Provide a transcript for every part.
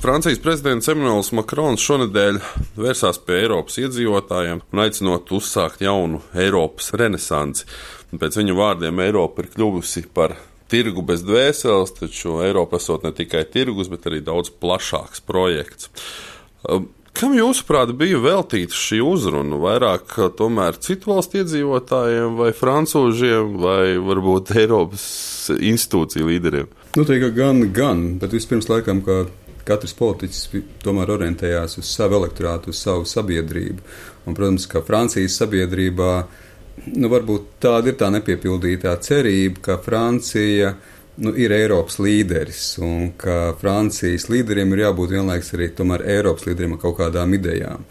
Francijas prezidents Emmanuels Makrons šonedēļ vērsās pie Eiropas iedzīvotājiem un aicinot uzsākt jaunu Eiropas renesansi. Pēc viņa vārdiem Eiropa ir kļuvusi par tirgu bez dvēseles, taču Eiropa esot ne tikai tirgus, bet arī daudz plašāks projekts. Kam jūsuprāt bija veltīta šī uzruna? Vairāk tomēr citu valstu iedzīvotājiem vai francūžiem vai varbūt Eiropas institūciju līderiem? Teikt, gan, bet vispirms laikam, ka katrs politiķis tomēr orientējās uz savu elektorātu, uz savu sabiedrību. Un, protams, ka Francijas sabiedrībā varbūt tāda ir tā nepiepildītā cerība, ka Francija ir Eiropas līderis un ka Francijas līderiem ir jābūt vienlaiks arī tomēr Eiropas līderiem ar kaut kādām idejām.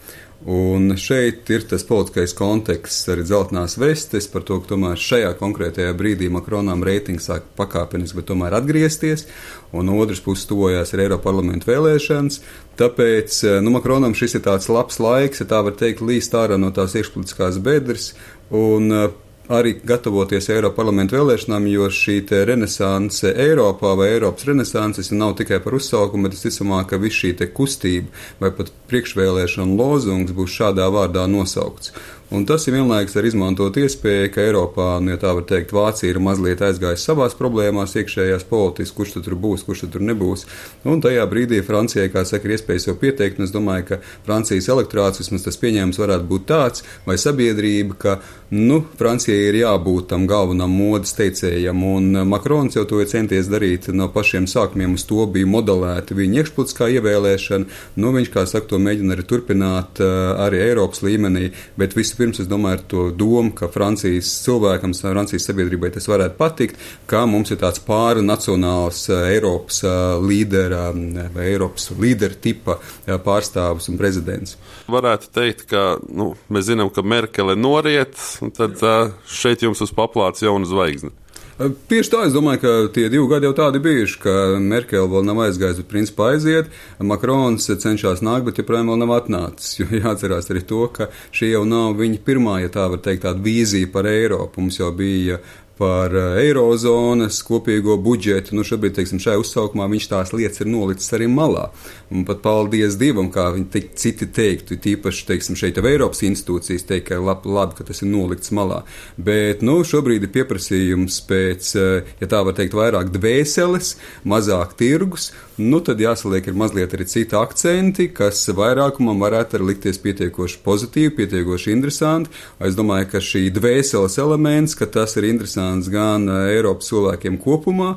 Un šeit ir tas politiskais konteksts, arī dzeltenās vestes par to, ka tomēr šajā konkrētajā brīdī Makronam reitings sāk pakāpeniski, bet tomēr atgriezties, un no otras puses tojās ir Eiropa parlamenta vēlēšanas. Tāpēc Makronam šis ir tāds labs laiks, ja tā var teikt, līst ārā no tās iekšpolitiskās bedres un arī gatavoties Eiropa parlamenta vēlēšanām, jo šī renesanse Eiropā vai Eiropas renesanses nav tikai par uzsaukumu, bet es ticamāk, ka viss šī kustība vai pat priekšvēlēšana lozungs būs šādā vārdā nosaukts. Un tas ir vienlaikus ar izmantot iespēju, ka Eiropā, ja tā var teikt, Vācija ir mazliet aizgājusi savās problēmās, iekšējās politiski, kurš tur būs, kurš tur nebūs. Un tajā brīdī Francijai, kā saka, ir iespējas jau pieteikt, un es domāju, ka Francijas elektorāts, vismaz tas pieņēmums varētu būt tāds, vai sabiedrība, ka, Francijai ir jābūt tam galvenam modes teicējam, un Makrons jau to ir centies darīt no pašiem sākumiem, uz to bija modelēta viņa iekšpolitiskā ievēlēšana, viņš, kā saka, to mēģina arī turpināt arī Eiropas līmenī, bet pirms es domāju ar to domu, ka Francijas cilvēkam, Francijas sabiedrībai tas varētu patikt, ka mums ir tāds pārnacionāls Eiropas līdera vai Eiropas līdera tipa pārstāvis un prezidents. Varētu teikt, ka mēs zinām, ka Merkele noriet, un tad šeit jums uz paplāts jauna zvaigzne. Tieši tā, es domāju, ka tie 2 gadi jau tādi bijuši, ka Merkele vēl nav aizgājusi, bet principā aiziet, Makrons cenšas nākt, bet joprojām vēl nav atnācis, jo jāatcerās arī to, ka šī jau nav viņa pirmā, ja tā var teikt, tāda vīzija par Eiropu. Mums jau bija par eirozonas kopīgo budžetu. Šobrīd, teiksim, šajā uzsaukumā viņš tās lietas ir nolicis arī malā. Un pat paldies Dievam, kā viņi citi teiktu, tīpaši, teiksim, šeit jau Eiropas institūcijas teikt, ka labi, ka tas ir nolikts malā. Bet, šobrīd ir pieprasījums pēc, ja tā var teikt, vairāk dvēseles, mazāk tirgus, tad jāsaliek ir mazliet arī citi akcenti, kas vairākumam varētu arī likties pietiekoši pozitīvi, pietiekoši interesanti. Es domāju, ka šī dvēseles elements, ka tas ir interesants gan Eiropas cilvēkiem kopumā,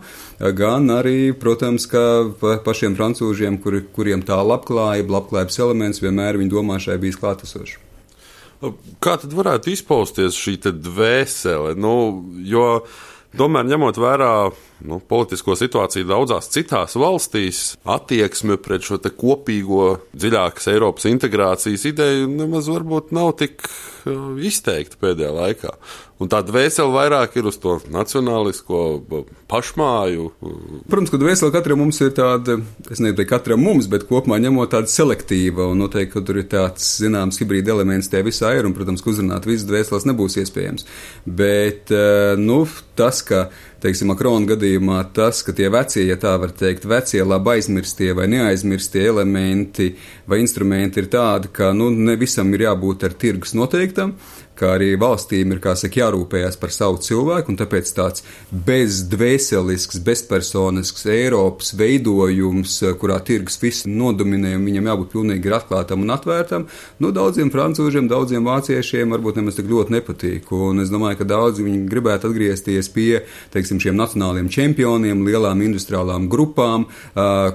gan arī, protams, ka pašiem francūžiem, kuriem tā labklājības elements vienmēr viņa domāšanai bijis klātesošs. Kā tad varētu izpausties šī dvēsele? Jo tomēr ņemot vērā politisko situāciju daudzās citās valstīs, attieksme pret šo kopīgo dziļākas Eiropas integrācijas ideju nemaz varbūt nav tik izteikta pēdējā laikā. Un tā dvēsele vairāk ir uz to nacionālisko pašmāju. Protams, ka dvēsele katram mums ir tāda, es nezinu, katram mums, bet kopumā ņemot tāda selektīva, un noteikti, ka tur ir tāds, zināms, hibrīda elements tie visā ir, un, protams, ka uzrunāt visas dvēseles nebūs iespējams. Bet, tas, ka, teiksim, Makrona gadījumā tas, ka tie vecie, ja tā var teikt, vecie labi aizmirstie vai neaizmirstie elementi vai instrumenti ir tādi, ka, ne visam ir jābūt ar tirgus noteiktam, ka arī valstīm ir, kā saka, jārūpējās par savu cilvēku, un tāpēc tāds bezdvēselisks, bezpersonisks Eiropas veidojums, kurā tirgus viss nodominē, un viņam jābūt pilnīgi atklātam un atvērtam, daudziem francūžiem, daudziem vāciešiem varbūt nemaz tik ļoti nepatīk, un es domāju, ka daudzi viņi gribētu atgriezties pie, teiksim, šiem nacionāliem čempioniem, lielām industriālām grupām,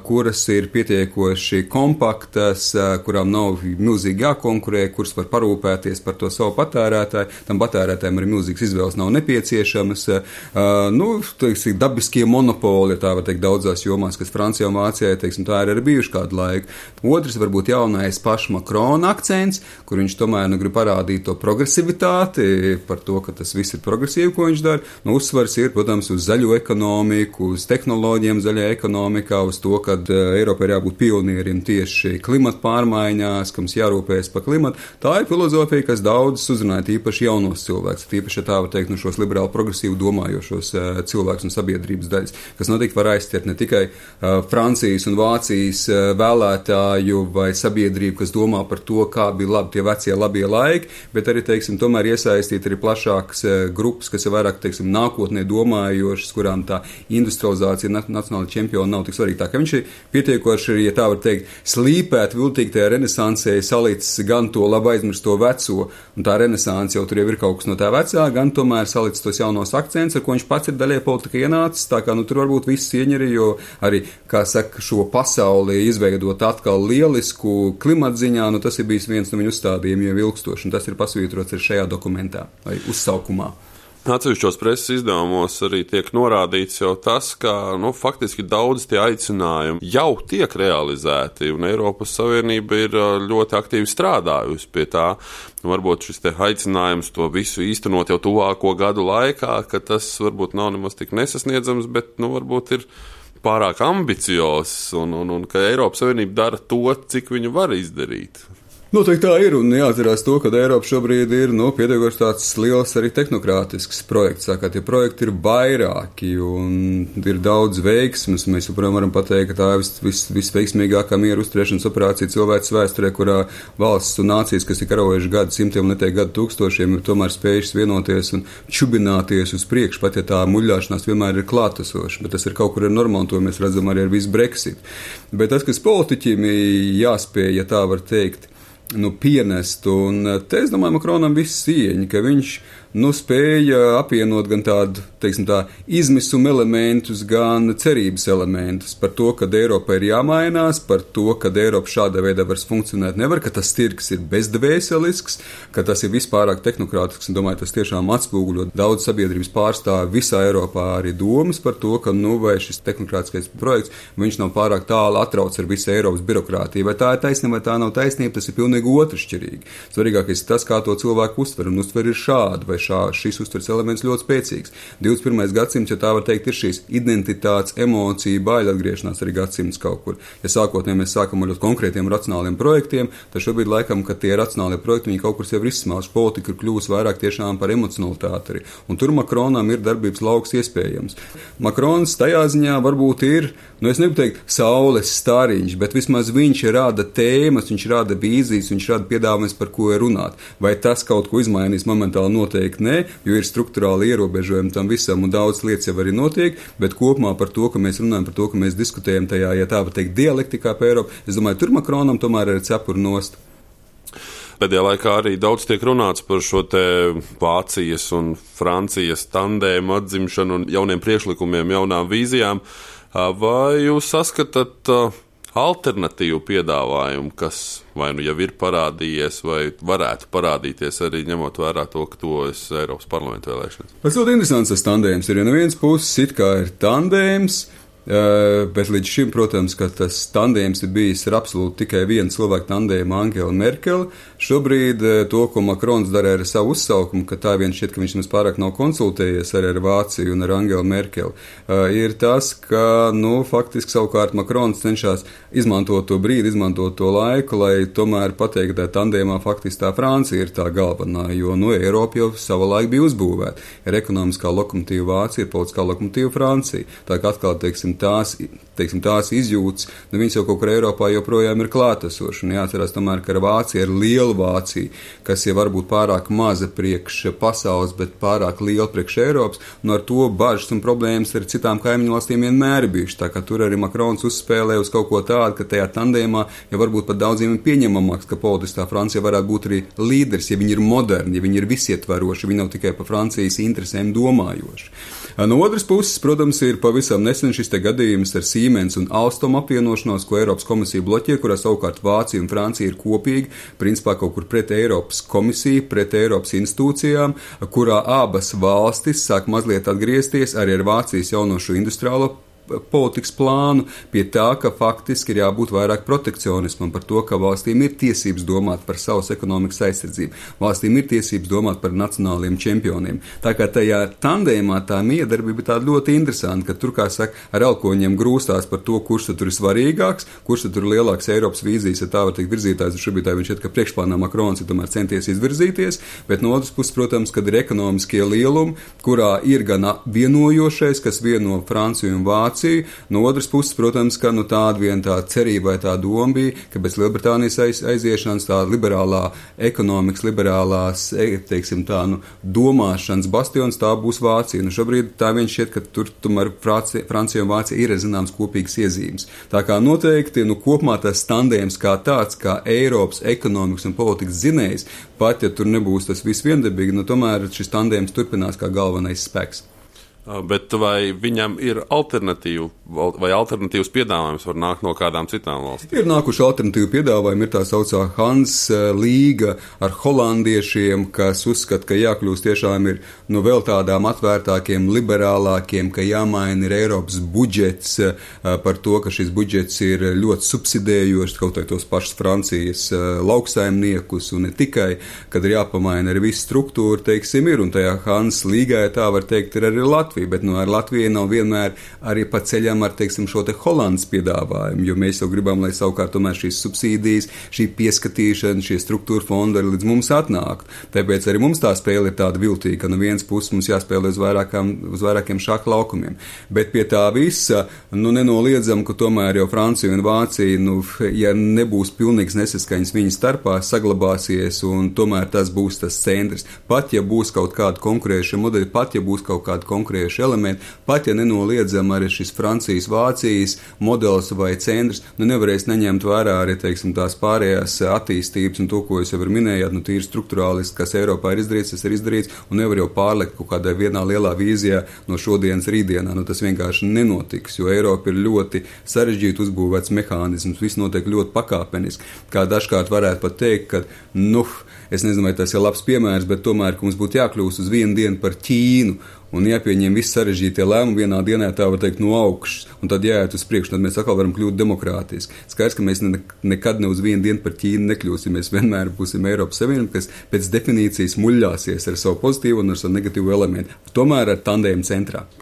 kuras ir pietiekoši kompaktas, kurām nav milzīgi jākonkurē, kuras var parūpēties par to savu patērētāju. Tam patērētājiem arī milzīgas izvēles nav nepieciešamas. Teiksim, dabiskie monopoli, ja tā var teikt, daudzās jomās, kas Francijā un Vācijā, teiksim, tā ir arī bijuši kādu laiku. Otrs varbūt jaunais paša Makrona akcents, kur viņš tomēr grib parādīt to progresivitāti, par to, ka tas viss ir progresīvi, ko viņš dara. Uzsvars ir, protams, uz zaļo ekonomiku, uz tehnoloģiem zaļajā ekonomikā, uz to, ka Eiropa ir jābūt pionierim tieši klimata pārmaiņās, ka mums jārūpējas par klimatu. Tā ir filozofija, kas daudzus uzrunāja īpaši jaunos cilvēkus, īpaši, ja tā var teikt, šos liberāli progresīvi domājošos cilvēkus un sabiedrības daļas, kas noteikti var aizķert ne tikai Francijas un Vācijas vēlētāju vai sabiedrību, kas domā par to, kā bija labi tie vecie labie laiki, bet arī, teiksim, tomēr iesaistīt arī plašākas grupas, kas ir vairāk, teiksim, nākotnē domājošas, kurām tā industrializācija nacionāla čempiona nav tik svarīga. Tā ka viņš ir pietiekoši, ja tā var teikt, slīpēt viltīgi tajā renesansē, salicis gan to labi aizmirsto veco, un tā renesanse jau tur jau ir kaut kas no tā vecā, gan tomēr salicis tos jaunos akcentus, ar ko viņš pats ir daļai politika ienācis, tā kā, tur varbūt viss ieņeri, jo arī, kā saka, šo pasauli izveidot atkal lielisku klimatziņā, tas ir bijis viens no viņu uzstādījumiem jau ilgstoši, un tas ir pasvītrots arī šajā dokumentā vai uzsaukumā. Atsevišķos preses izdevumos arī tiek norādīts jau tas, ka faktiski daudz tie aicinājumi jau tiek realizēti, un Eiropas Savienība ir ļoti aktīvi strādājusi pie tā. Varbūt šis te aicinājums to visu īstenot jau tuvāko gadu laikā, ka tas varbūt nav nemaz tik nesasniedzams, bet varbūt ir pārāk ambiciozs, un ka Eiropas Savienība dara to, cik viņa var izdarīt. Noteikti tā ir, un jāatcerās to, ka Eiropa šobrīd ir, pietiekoši tāds liels arī tehnokrātisks projekts, kā tie projekti ir vairāki, un ir daudz veiksmes. Mēs joprojām varam pateikt, ka tā ir visveiksmīgākā miera uzturēšanas operācija cilvēces vēsturē, kurā valsts un nācijas, kas ir karojuši gadu simtiem, ne tikai gadu tūkstošiem, ir tomēr spējušas vienoties un čubināties uz priekšu, pat ja tā muļļāšanās vienmēr ir klātesoša, bet tas ir kaut kur normāli, to mēs redzam arī ar visu Brexit. Bet tas, kas politiķim jāspēj, ja tā var teikt, pienest, un te, es domāju, Makronam viss cieņa, ka viņš spēja apvienot gan tādu, teiksim tā, izmisuma elementus, gan cerības elementus par to, ka Eiropa ir jāmainās, par to, ka Eiropa šādā veidā vairs funkcionēt nevar, ka tas tirgs ir bezdvēselisks, ka tas ir vispārāk tehnokrātisks, un domāju, tas tiešām atspoguļo daudz sabiedrības pārstāvi visā Eiropā arī domas par to, ka, vai šis tehnokrātiskais projekts, viņš nav pārāk tālu atrauc ar visu Eiropas birokrātiju, vai tā ir taisnība, vai tā nav taisnība, tas ir pilnīgi otršķirīgi. Svarīgākais ir tas, kā to cilvēku uztver, un uztver ir šādi, vai šis uztveres elements ļoti spēcīgs. 21. gadsimts, ja tā var teikt, ir šīs identitātes, emociju, baiļu atgriešanās arī gadsimts kaut kur. Ja sākotnēji mēs sākam ar ļoti konkrētiem racionāliem projektiem, tad šobrīd laikam, ka tie racionālie projekti, viņi kaut kur sev ir izsmēluši. Politika ir kļuvusi vairāk tiešām par emocionalitāti arī. Un tur Makronam ir darbības lauks iespējams. Makrons tajā ziņā varbūt ir, es negribu teikt, saules stariņš, bet vismaz viņš rada tēmas, viņš rada vīzijas, viņš rada piedāvājums, par ko ir runāt. Vai tas kaut ko izmainīs momentāli noteikti? Nē, jo ir struktūrāli ierobežojumi tam visam, un daudz lietas jau arī notiek, bet kopumā par to, ka mēs runājam, par to, ka mēs diskutējam tajā, ja tā var teikt, dialektikā pa Eiropu, es domāju, tur Makronam tomēr ir cepuri nost. Pēdējā laikā arī daudz tiek runāts par šo te Vācijas un Francijas tandēmu atzimšanu un jauniem priekšlikumiem, jaunām vīzijām. Vai jūs saskatāt alternatīvu piedāvājumu, kas vai jau ir parādījies, vai varētu parādīties arī ņemot vērā to, ka tuvojas Eiropas parlamenta vēlēšanas? Tas ļoti interesants tas tandēms ir. Ja no vienas puses it kā ir tandēms, bet līdz šim, protams, ka tas tandēms ir bijis ar absolūti tikai vienu cilvēku tandēmu, Angela Merkele. Šobrīd to, ko Makrons dara ar savu uzsaukumu, ka tā vien šķiet, ka viņš mums pārāk nav konsultējies arī ar Vāciju un ar Angelu Merkeli, ir tas, ka, faktiski savukārt Makrons cenšas izmantot to brīdi, izmantot to laiku, lai tomēr pateikt, ka tandēmā faktiski tā Francija ir tā galvenā, jo, Eiropa jau savulaik bija uzbūvēta. Ir ekonomiskā lokomotīva Vācija, ir politiskā lokomotīva Francija. Tā kā atkal, tās izjūtas, viņas jau kaut kur Eiropā joprojām ir klātesošas. Un jāatcerās tomēr, ka Vācija ir liela Vācija, kas jau varbūt pārāk maza priekš pasaules, bet pārāk liela priekš Eiropas, un ar to bažas un problēmas ar citām kaimiņu valstīm vienmēr ir bijušas. Tā kā tur arī Makrons uzspēlē uz kaut ko tādu, ka tajā tandēmā jau varbūt pat daudziem ir pieņemamāks, ka politiskā Francija varētu būt arī līderis, ja viņi ir moderni, ja viņi ir visietvaroši, viņi nav tikai par Francijas interesēm domājoši. No otras puses, protams, ir pavisam nesen šis te gadījums ar Siemens un Alstom apvienošanos, ko Eiropas komisija bloķē, kurā savukārt Vācija un Francija ir kopīgi, principā kaut kur pret Eiropas komisiju, pret Eiropas institūcijām, kurā abas valstis sāk mazliet atgriezties arī ar Vācijas jaunošu industriālo politikas plānu, pie tā, ka faktiski ir jābūt vairāk protekcionismam, par to, ka valstīm ir tiesības domāt par savas ekonomikas aizsardzību, valstīm ir tiesības domāt par nacionāliem čempioniem. Tā kā tajā tandēmā tā miedarbība ir tāda ļoti interesanta, ka tur, kā saka, ar elkoņiem grūstās par to, kurš tur ir svarīgāks, kurš tur ir lielāks Eiropas vīzijas, ja tā var teikt, virzītājs, un šobrīd viņš šķiet, ka priekšplānā Makrons ir tomēr centies izvirzīties, bet no otras puses, protams, kad ir ekonomiskie lielumi, kurā ir gan vienojošais, kas vieno Franciju un Vāciju, no otras puses, protams, ka tāda viena tā cerība vai tā doma bija, ka bez Lielbritānijas aiziešanas tā liberālā ekonomikas, liberālās, teiksim tā, domāšanas bastions tā būs Vācija. Šobrīd tā vien šķiet, ka tur tomēr Francija un Vācija ir zināms kopīgas iezīmes. Tā kā noteikti, kopumā tas tandēms kā tāds, kā Eiropas ekonomikas un politikas zinējs, pat ja tur nebūs tas viss viendabīgi, tomēr šis tandēms turpinās kā galvenais spēks. Bet vai viņam ir alternatīva, vai alternatīvas piedāvājums var nākt no kādām citām valstīm? Ir nākuši alternatīvu piedāvājumi, ir tā saucā Hans līga ar holandiešiem, kas uzskata, ka jākļūst tiešām ir vēl tādām atvērtākiem, liberālākiem, ka jāmaina ir Eiropas budžets par to, ka šis budžets ir ļoti subsidējošs, kaut vai tos pašus Francijas lauksaimniekus un ne tikai, kad ir jāpamaina arī visu struktūru, teiksim, ir, un tajā Hans līgā, tā var teikt, ir arī Latvija. Bet ar Latviju nav vienmēr arī pa ceļam ar, teiksim, šo te Holandas piedāvājumu, jo mēs jau gribam, lai savukārt tomēr šīs subsīdijas, šī pieskatīšana, šie struktūra fondi arī līdz mums atnākt. Tāpēc arī mums tā spēle ir tāda viltīga, ka no vienas puses mums jāspēlē uz vairākiem šāku laukumiem. Bet pie tā visa, nenoliedzam, ka tomēr jau Francija un Vācija, ja nebūs pilnīgs nesaskaņas viņu starpā, saglabāsies un tomēr tas būs tas centrs. Pat ja būs kaut kāda konkurējuša modeļa, pat ja būs kaut kāda konkurējuša elementi, pat ja nenoliedzam arī šis Francijas-Vācijas modelis vai centrs, nevarēs neņemt vērā arī, teiksim, tās pārējās attīstības un to, ko jūs jau minējāt, tīri struktūrāliski, kas Eiropā ir izdarīts, tas ir izdarīts, un nevar jau pārlekt kaut kādā vienā lielā vīzijā no šodienas rītdienā. Tas vienkārši nenotiks, jo Eiropa ir ļoti sarežģīti uzbūvēts mehānisms, viss notiek ļoti pakāpeniski. Kā dažkārt varētu pat teikt, ka, es nezinu, vai tas ir labs piemērs, bet tomēr, ka mums būtu jākļūst uz vienu dienu par Ķīnu, un jāpieņem visi sarežģītie lēmumi vienā dienā, tā var teikt, no augšas, un tad jāiet uz priekšu, tad mēs atkal varam kļūt demokrātiski. Skaidrs, ka mēs nekad ne uz vienu dienu par Ķīnu nekļūsim, mēs vienmēr būsim Eiropas Savienība, kas pēc definīcijas muļļāsies ar savu pozitīvu un ar savu negatīvu elementu, tomēr ar tandēmu centrā.